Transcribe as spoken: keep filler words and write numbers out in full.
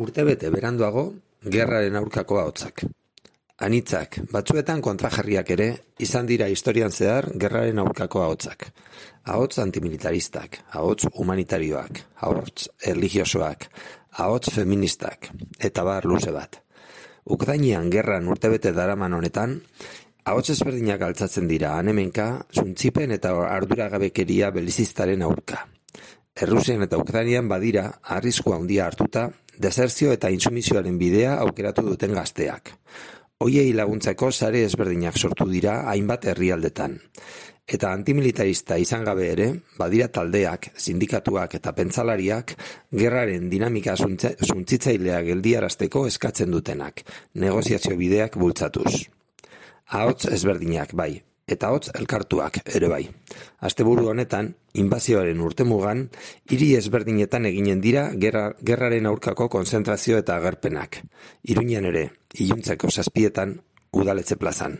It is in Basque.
Urtebete beranduago, gerraren aurkako ahotsak. Anitzak, batzuetan kontrajarriak ere, izan dira historian zehar gerraren aurkako ahotsak. Ahots antimilitaristak, ahots humanitarioak, ahots erlijiosoak, ahots feministak, eta bar luze bat. Ukrainean gerran urtebete daraman honetan, ahots ezberdinak altzatzen dira anemenka, zuntzipen eta arduragabekeria belizistaren aurka. Errusian eta Ukrainian badira, arriskua handia hartuta, desertzio eta intsumizioaren bidea aukeratu duten gazteak. Hoiei laguntzeko sare ezberdinak sortu dira hainbat herrialdetan. Eta antimilitarista izan gabe ere, badira taldeak, sindikatuak eta pentsalariak gerraren dinamika suntzitzailea geldiarazteko eskatzen dutenak, negoziazio bideak bultzatuz. Ahots ezberdinak bai, eta ahots elkartuak ere bai. Asteburu honetan, inbazioaren urtemugan, hiri ezberdinetan eginen dira gerra, gerraren aurkako konzentrazio eta agerpenak. Iruñan ere, iluntzeko zazpietan, Udaletxe plazan.